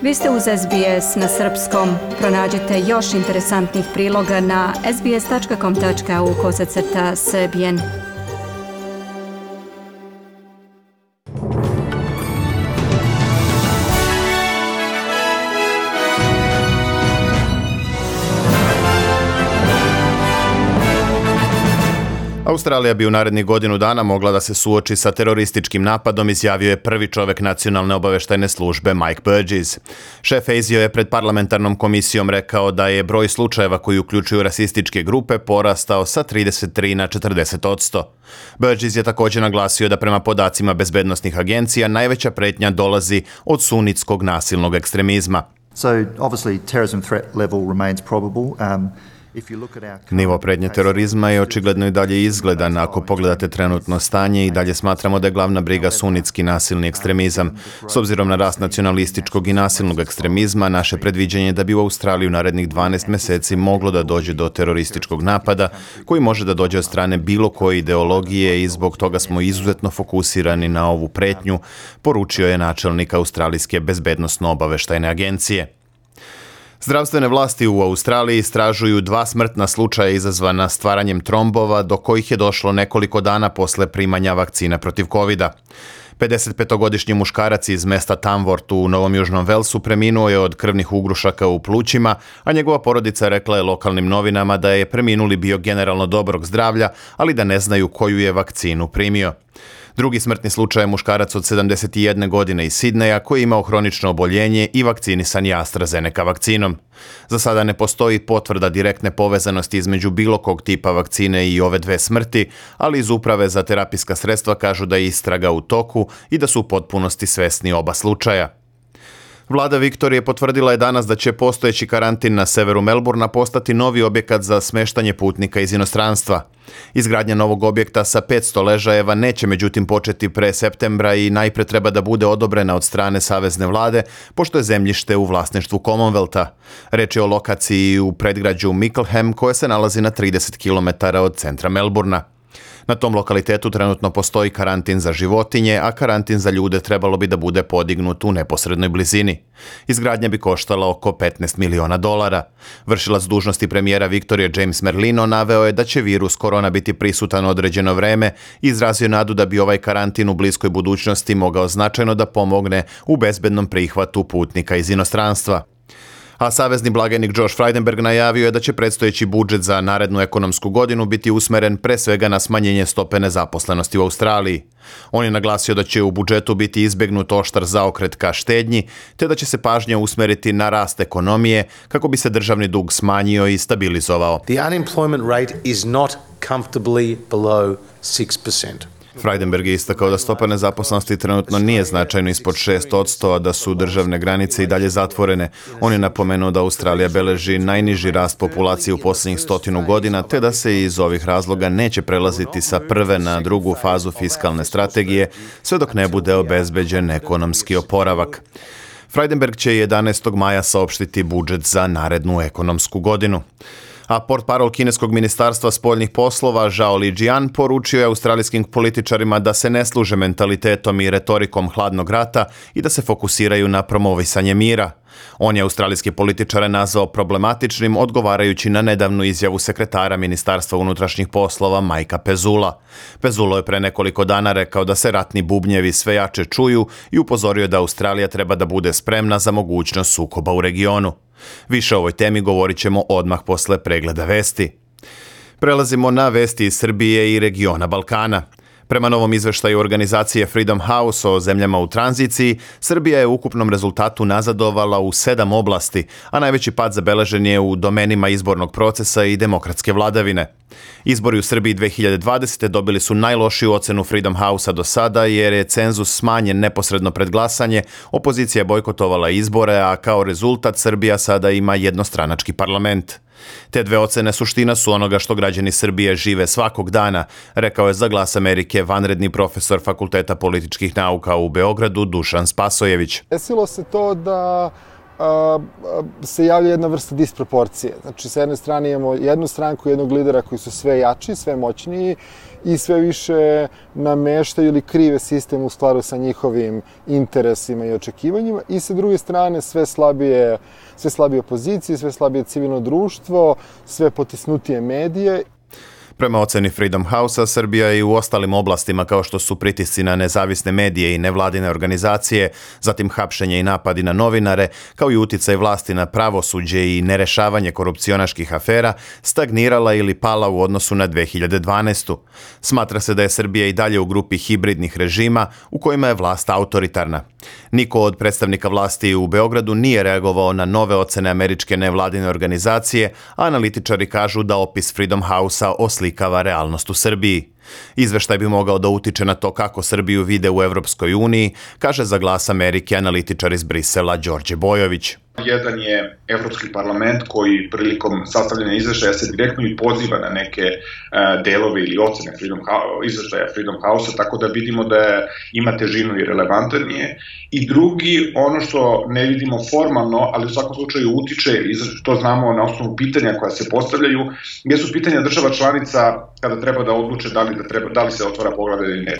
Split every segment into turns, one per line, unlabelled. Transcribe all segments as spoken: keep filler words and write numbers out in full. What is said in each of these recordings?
Vi ste uz S B S na srpskom. Pronađite još interesantnih priloga na sbs.com.au kosacrta srbijen.
Australija bi u narednih godinu dana mogla da se suoči sa terorističkim napadom, izjavio je prvi čovek nacionalne obaveštajne službe Mike Burgess. Šef A S I O je pred parlamentarnom komisijom rekao da je broj slučajeva koji uključuju rasističke grupe porastao sa trideset tri na četrdeset posto. Burgess je također naglasio da prema podacima bezbednosnih agencija najveća pretnja dolazi od sunitskog nasilnog ekstremizma.
So obviously terrorism threat level remains probable. Um,
Nivo prednje terorizma je očigledno i dalje izgledan. Ako pogledate trenutno stanje, i dalje smatramo da je glavna briga sunitski nasilni ekstremizam. S obzirom na rast nacionalističkog i nasilnog ekstremizma, naše predviđanje je da bi u Australiji u narednih dvanaest meseci moglo da dođe do terorističkog napada, koji može da dođe od strane bilo koje ideologije i zbog toga smo izuzetno fokusirani na ovu pretnju, poručio je načelnik Australijske bezbednosno-obaveštajne agencije. Zdravstvene vlasti u Australiji istražuju dva smrtna slučaja izazvana stvaranjem trombova do kojih je došlo nekoliko dana posle primanja vakcina protiv kovida. pedesetpetogodišnji muškarac iz mesta Tamworth u Novom Južnom Velsu preminuo je od krvnih ugrušaka u plućima, a njegova porodica rekla je lokalnim novinama da je preminuli bio generalno dobrog zdravlja, ali da ne znaju koju je vakcinu primio. Drugi smrtni slučaj je muškarac od sedamdeset jedne godine iz Sidneja koji je imao hronično oboljenje i vakcinisan je AstraZeneca vakcinom. Za sada ne postoji potvrda direktne povezanosti između bilo kog tipa vakcine i ove dve smrti, ali iz Uprave za terapijska sredstva kažu da je istraga u toku i da su u potpunosti svesni oba slučaja. Vlada Viktorije potvrdila je danas da će postojeći karantin na severu Melbourna postati novi objekat za smeštanje putnika iz inostranstva. Izgradnja novog objekta sa petsto ležajeva neće međutim početi pre septembra i najpre treba da bude odobrena od strane savezne vlade, pošto je zemljište u vlasništvu Commonwealtha. Reč je o lokaciji u predgrađu Mickleham koja se nalazi na trideset kilometara od centra Melbourna. Na tom lokalitetu trenutno postoji karantin za životinje, a karantin za ljude trebalo bi da bude podignut u neposrednoj blizini. Izgradnja bi koštala oko petnaest miliona dolara. Vršilac dužnosti premijera Viktorije James Merlino naveo je da će virus korona biti prisutan određeno vreme i izrazio nadu da bi ovaj karantin u bliskoj budućnosti mogao značajno da pomogne u bezbednom prihvatu putnika iz inostranstva. A savezni blagajnik Josh Frydenberg najavio je da će predstojeći budžet za narednu ekonomsku godinu biti usmeren pre svega na smanjenje stope nezaposlenosti u Australiji. On je naglasio da će u budžetu biti izbegnut oštar zaokret ka štednji, te da će se pažnja usmeriti na rast ekonomije kako bi se državni dug smanjio i stabilizovao.
The unemployment rate is not comfortably below six percent.
Frydenberg je istakao da stopa nezaposlenosti trenutno nije značajno ispod šest posto, a da su državne granice i dalje zatvorene. On je napomenuo da Australija beleži najniži rast populacije u posljednjih stotinu godina, te da se iz ovih razloga neće prelaziti sa prve na drugu fazu fiskalne strategije, sve dok ne bude obezbeđen ekonomski oporavak. Frydenberg će jedanaestog maja saopštiti budžet za narednu ekonomsku godinu. A portparol kineskog ministarstva spoljnih poslova Zhao Lijian poručio je australijskim političarima da se ne služe mentalitetom i retorikom hladnog rata i da se fokusiraju na promovisanje mira. On je australijske političare nazvao problematičnim, odgovarajući na nedavnu izjavu sekretara Ministarstva unutrašnjih poslova Mikea Pezula. Pezulo je pre nekoliko dana rekao da se ratni bubnjevi sve jače čuju i upozorio da Australija treba da bude spremna za mogućnost sukoba u regionu. Više o ovoj temi govorit ćemo odmah posle pregleda vesti. Prelazimo na vesti iz Srbije i regiona Balkana. Prema novom izveštaju organizacije Freedom House o zemljama u tranziciji, Srbija je u ukupnom rezultatu nazadovala u sedam oblasti, a najveći pad zabeležen je u domenima izbornog procesa i demokratske vladavine. Izbori u Srbiji dve hiljade dvadesete. dobili su najlošiju ocenu Freedom House-a do sada jer je cenzus smanjen neposredno pred glasanje, opozicija je bojkotovala izbore, a kao rezultat Srbija sada ima jednostranački parlament. Te dve ocene suština su onoga što građani Srbije žive svakog dana, rekao je za Glas Amerike vanredni profesor Fakulteta političkih nauka u Beogradu Dušan Spasojević.
Desilo se to da a, a, se javlja jedna vrsta disproporcije. Znači, sa jedne strane imamo jednu stranku, jednog lidera koji su sve jači, sve moćniji i sve više nameštaju ili krive sistem u skladu sa njihovim interesima i očekivanjima i sa druge strane sve slabije, sve slabije opozicije, sve slabije civilno društvo, sve potisnutije medije.
Prema oceni Freedom House-a, Srbija je i u ostalim oblastima kao što su pritisci na nezavisne medije i nevladine organizacije, zatim hapšenje i napadi na novinare, kao i uticaj vlasti na pravosuđe i nerešavanje korupcionaških afera, stagnirala ili pala u odnosu na dve hiljade dvanaestu. Smatra se da je Srbija i dalje u grupi hibridnih režima u kojima je vlast autoritarna. Niko od predstavnika vlasti u Beogradu nije reagovao na nove ocene američke nevladine organizacije, a analitičari kažu da opis Freedom House-a oslikava realnost u Srbiji. Izveštaj bi mogao da utiče na to kako Srbiju vide u Evropskoj uniji, kaže za Glas Amerike analitičar iz Brisela Đorđe Bojović.
Jedan je Evropski parlament koji prilikom sastavljanja izveštaja se direktno i poziva na neke uh, delove ili ocene Freedom House, izveštaja Freedom House-a, tako da vidimo da ima težinu i relevantan je. I drugi, ono što ne vidimo formalno, ali u svakom slučaju utiče, i to znamo na osnovu pitanja koja se postavljaju, jesu pitanja država članica kada treba da odluče da li, da treba, da li se otvara poglavlje ili ne.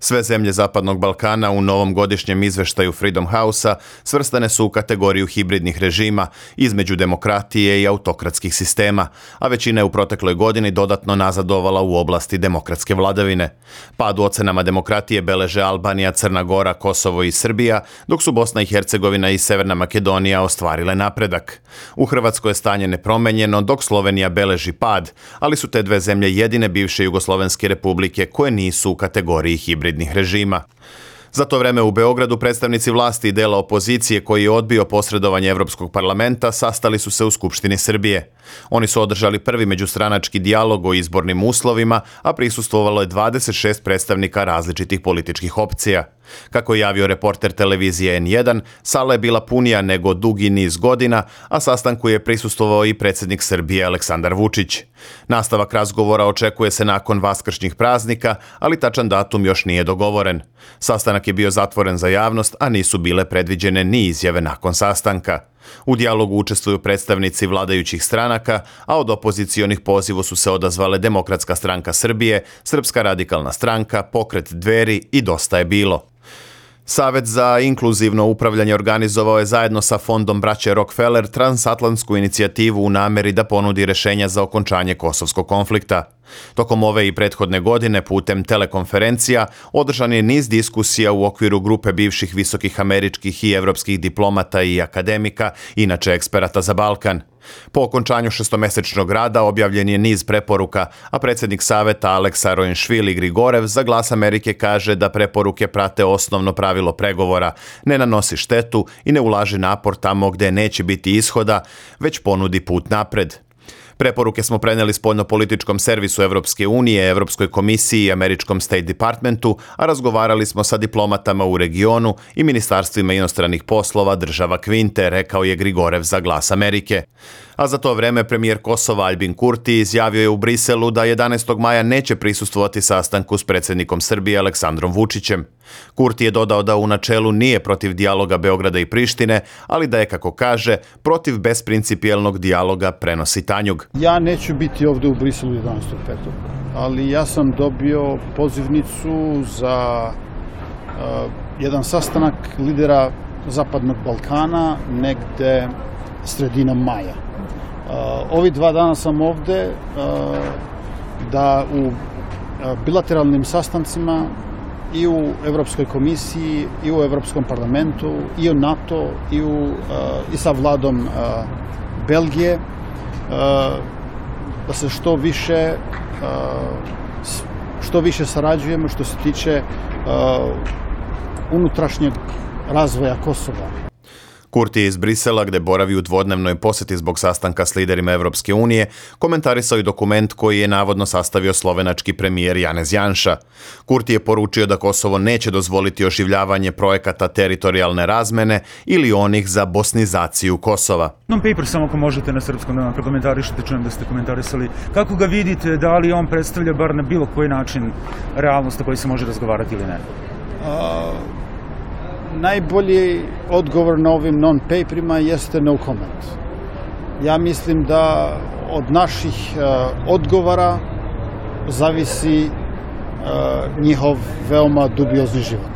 Sve zemlje Zapadnog Balkana u novom godišnjem izveštaju Freedom House-a svrstane su u kategoriju hibridnih režima između demokratije i autokratskih sistema, a većina je u protekloj godini dodatno nazadovala u oblasti demokratske vladavine. Pad u ocenama demokratije beleže Albanija, Crna Gora, Kosovo i Srbija, dok su Bosna i Hercegovina i Severna Makedonija ostvarile napredak. U Hrvatskoj je stanje nepromenjeno, dok Slovenija beleži pad, ali su te dve zemlje jedine bivše jugoslovenske republike koje nisu u kategoriji hibridnih režima. Za to vreme u Beogradu predstavnici vlasti i dela opozicije koji je odbio posredovanje Evropskog parlamenta sastali su se u Skupštini Srbije. Oni su održali prvi međustranački dijalog o izbornim uslovima, a prisustvovalo je dvadeset šest predstavnika različitih političkih opcija. Kako je javio reporter televizije en jedan, sala je bila punija nego dugi niz godina, a sastanku je prisustvovao i predsjednik Srbije Aleksandar Vučić. Nastavak razgovora očekuje se nakon vaskršnjih praznika, ali tačan datum još nije dogovoren. Sastanak je bio zatvoren za javnost, a nisu bile predviđene ni izjave nakon sastanka. U dijalogu učestvuju predstavnici vladajućih stranaka, a od opozicionih pozivu su se odazvale Demokratska stranka Srbije, Srpska radikalna stranka, Pokret Dveri i Dosta je bilo. Savet za inkluzivno upravljanje organizovao je zajedno sa fondom braće Rockefeller transatlantsku inicijativu u nameri da ponudi rešenja za okončanje kosovskog konflikta. Tokom ove i prethodne godine putem telekonferencija održan je niz diskusija u okviru grupe bivših visokih američkih i evropskih diplomata i akademika, inače eksperata za Balkan. Po okončanju šestomesečnog rada objavljen je niz preporuka, a predsjednik saveta Aleksa Rojenšvili Grigorev za Glas Amerike kaže da preporuke prate osnovno pravilo pregovora, ne nanosi štetu i ne ulaže napor tamo gde neće biti ishoda, već ponudi put napred. Preporuke smo preneli spoljnopolitičkom servisu Evropske unije, Evropskoj komisiji i Američkom State Departmentu, a razgovarali smo sa diplomatama u regionu i ministarstvima inostranih poslova država Kvinte, rekao je Grigorev za Glas Amerike. A za to vreme premijer Kosova Aljbin Kurti izjavio je u Briselu da jedanaestog maja neće prisustvovati sastanku s predsjednikom Srbije Aleksandrom Vučićem. Kurti je dodao da u načelu nije protiv dijaloga Beograda i Prištine, ali da je, kako kaže, protiv besprincipijelnog dijaloga prenosi Tanjug.
Ja neću biti ovdje u Briselu jedanaestog petog ali ja sam dobio pozivnicu za uh, jedan sastanak lidera Zapadnog Balkana negde sredinom maja. Uh, ovi dva dana sam ovdje uh, da u uh, bilateralnim sastancima i u Evropskoj komisiji, i u Evropskom parlamentu, i u NATO, i, u, uh, i sa vladom uh, Belgije, uh, da se što više, uh, što više sarađujemo što se tiče uh, unutrašnjeg razvoja Kosova.
Kurti je iz Brisela, gde boravi u dvodnevnoj posjeti zbog sastanka s liderima Evropske unije, komentarisao i dokument koji je navodno sastavio slovenački premijer Janez Janša. Kurti je poručio da Kosovo neće dozvoliti oživljavanje projekata teritorijalne razmene ili onih za bosnizaciju Kosova.
Non-paper, samo ako možete na srpskom da vam prokomentarišete, čujem da ste komentarisali. Kako ga vidite, da li on predstavlja bar na bilo koji način realnost o kojoj se može razgovarati ili ne?
A... Najbolji odgovor na ovim non-paperima jeste no comment. Ja mislim da od naših uh, odgovora zavisi uh, njihov veoma dubiozni život.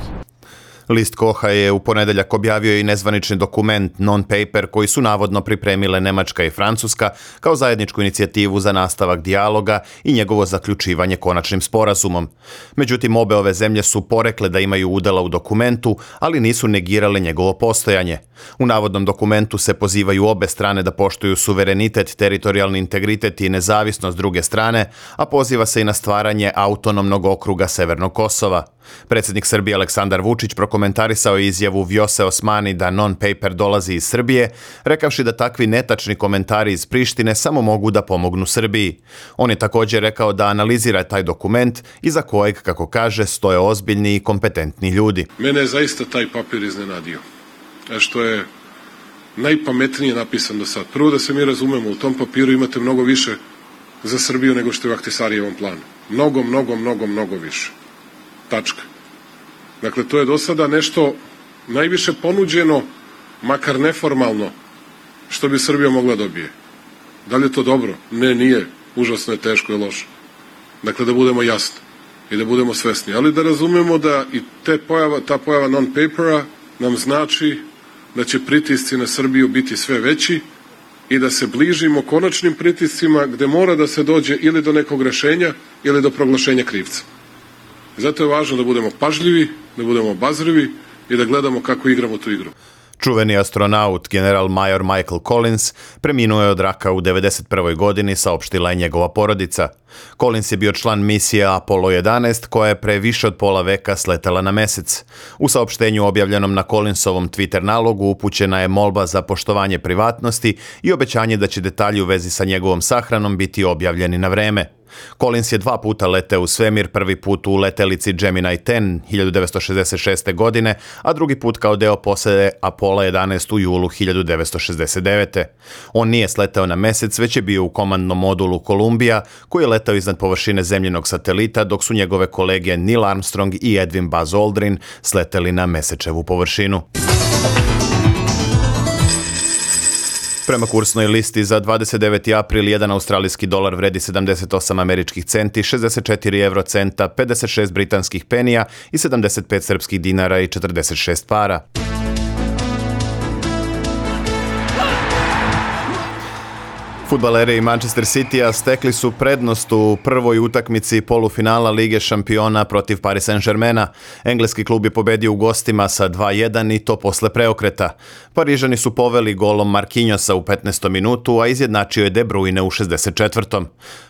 List Koha je u ponedeljak objavio i nezvanični dokument non-paper koji su navodno pripremile Nemačka i Francuska kao zajedničku inicijativu za nastavak dijaloga i njegovo zaključivanje konačnim sporazumom. Međutim, obe ove zemlje su porekle da imaju udela u dokumentu, ali nisu negirale njegovo postojanje. U navodnom dokumentu se pozivaju obe strane da poštuju suverenitet, teritorijalni integritet i nezavisnost druge strane, a poziva se i na stvaranje autonomnog okruga Severnog Kosova. Predsjednik Srbije Aleksandar Vučić prokomentarisao je izjavu Vjose Osmani da non-paper dolazi iz Srbije, rekavši da takvi netačni komentari iz Prištine samo mogu da pomognu Srbiji. On je također rekao da analizira taj dokument iza kojeg, kako kaže, stoje ozbiljni i kompetentni ljudi.
Mene je zaista taj papir iznenadio, što je najpametnije napisan do sad. Prvo da se mi razumemo, u tom papiru imate mnogo više za Srbiju nego što je u Ahtisarijevom planu. Mnogo, mnogo, mnogo, mnogo više. Tačka. Dakle, to je do sada nešto najviše ponuđeno, makar neformalno, što bi Srbija mogla dobije. Da li je to dobro? Ne, nije. Užasno je, teško i loše. Dakle, da budemo jasni i da budemo svesni. Ali da razumemo da i te pojava, ta pojava non-papera nam znači da će pritisci na Srbiju biti sve veći i da se bližimo konačnim pritiscima gde mora da se dođe ili do nekog rešenja ili do proglašenja krivca. Zato je važno da budemo pažljivi, da budemo obazrivi i da gledamo kako igramo tu igru.
Čuveni astronaut, general major Michael Collins, preminuo je od raka u devedeset prvoj godini, saopštila je njegova porodica. Collins je bio član misije Apollo jedanaest, koja je pre više od pola veka sletela na mesec. U saopštenju objavljenom na Collinsovom Twitter nalogu upućena je molba za poštovanje privatnosti i obećanje da će detalji u vezi sa njegovom sahranom biti objavljeni na vreme. Collins je dva puta leteo u svemir, prvi put u letelici Gemini deset hiljadu devetsto šezdeset šeste. godine, a drugi put kao deo posade Apollo jedanaest u julu hiljadu devetsto šezdeset devete. On nije sleteo na mesec, već je bio u komandnom modulu Columbia, koji je letao iznad površine zemljinog satelita, dok su njegove kolege Neil Armstrong i Edwin Buzz Aldrin sleteli na mesečevu površinu. Prema kursnoj listi za dvadeset deveti april jedan australijski dolar vredi sedamdeset osam američkih centi, šezdeset četiri evrocenta, pedeset šest britanskih penija i sedamdeset pet srpskih dinara i četrdeset šest para. Fudbaleri Manchester Citya stekli su prednost u prvoj utakmici polufinala Lige šampiona protiv Paris Saint-Germaina. Engleski klub je pobedio u gostima sa dva jedan i to posle preokreta. Parižani su poveli golom Marquinhosa u petnaestom minutu, a izjednačio je De Bruyne u šezdeset četvrtom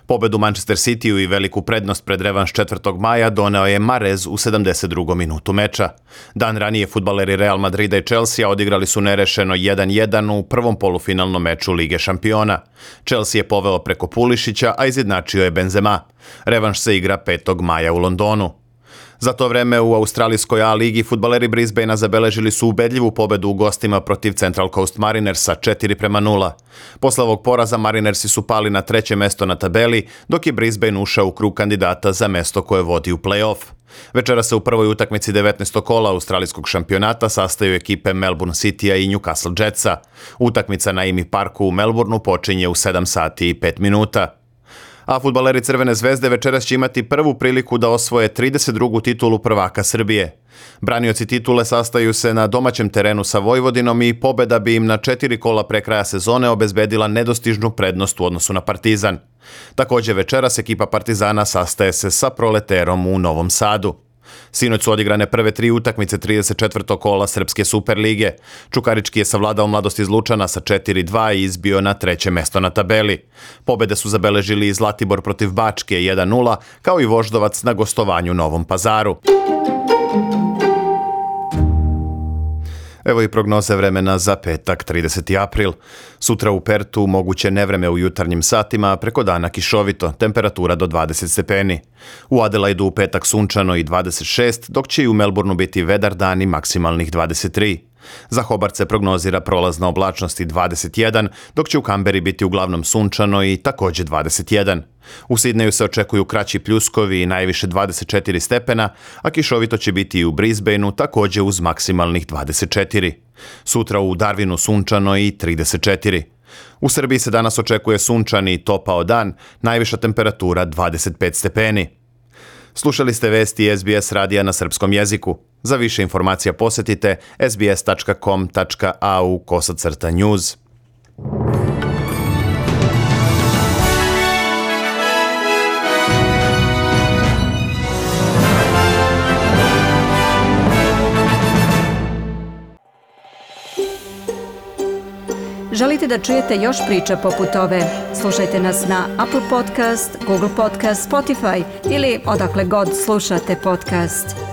Pobedu Manchester Cityu i veliku prednost pred revanš četvrtog maja doneo je Mahrez u sedamdeset drugom minutu meča. Dan ranije fudbaleri Real Madrida i Chelsea odigrali su nerešeno jedan jedan u prvom polufinalnom meču Lige šampiona. Chelsea je poveo preko Pulišića, a izjednačio je Benzema. Revanš se igra petog maja u Londonu. Za to vreme u australijskoj A ligi fudbaleri Brisbanea zabeležili su ubedljivu pobedu u gostima protiv Central Coast Marinersa četiri prema nula. Posle ovog poraza Marinersi su pali na treće mesto na tabeli, dok je Brisbane ušao u krug kandidata za mesto koje vodi u play-off. Večera se u prvoj utakmici devetnaestog kola australijskog šampionata sastaju ekipe Melbourne Citya i Newcastle Jetsa. Utakmica na Imi Parku u Melbourneu počinje u sedam sati i pet minuta. A fudbaleri Crvene zvezde večeras će imati prvu priliku da osvoje trideset drugu titulu prvaka Srbije. Branioci titule sastaju se na domaćem terenu sa Vojvodinom i pobeda bi im na četiri kola pre kraja sezone obezbedila nedostižnu prednost u odnosu na Partizan. Također večeras ekipa Partizana sastaje se sa Proleterom u Novom Sadu. Sinoć su odigrane prve tri utakmice trideset četvrtog kola Srpske Superlige. Čukarički je savladao Mladost iz Lučana sa četiri dva i izbio na treće mesto na tabeli. Pobede su zabeležili i Zlatibor protiv Bačke jedan nula, kao i Voždovac na gostovanju u Novom Pazaru. Evo i prognoze vremena za petak, trideseti april. Sutra u Pertu moguće nevreme u jutarnjim satima, preko dana kišovito, temperatura do dvadeset stepeni. U Adelaidu u petak sunčano i dvadeset šest, dok će i u Melbourneu biti vedar dan i maksimalnih dvadeset tri. Za Hobart se prognozira prolazna oblačnost i dvadeset jedan, dok će u Kamberi biti uglavnom sunčano i također dvadeset jedan. U Sidneju se očekuju kraći pljuskovi i najviše dvadeset četiri stepena, a kišovito će biti i u Brisbaneu također uz maksimalnih dvadeset četiri. Sutra u Darwinu sunčano i trideset četiri. U Srbiji se danas očekuje sunčani i topao dan, najviša temperatura dvadeset pet stepeni. Slušali ste vesti S B S radija na srpskom jeziku. Za više informacija posjetite s b s tačka com tačka a u kosacrta news.
Želite da čujete još priča poput ove? Slušajte nas na Apple Podcast, Google Podcast, Spotify ili odakle god slušate podcast.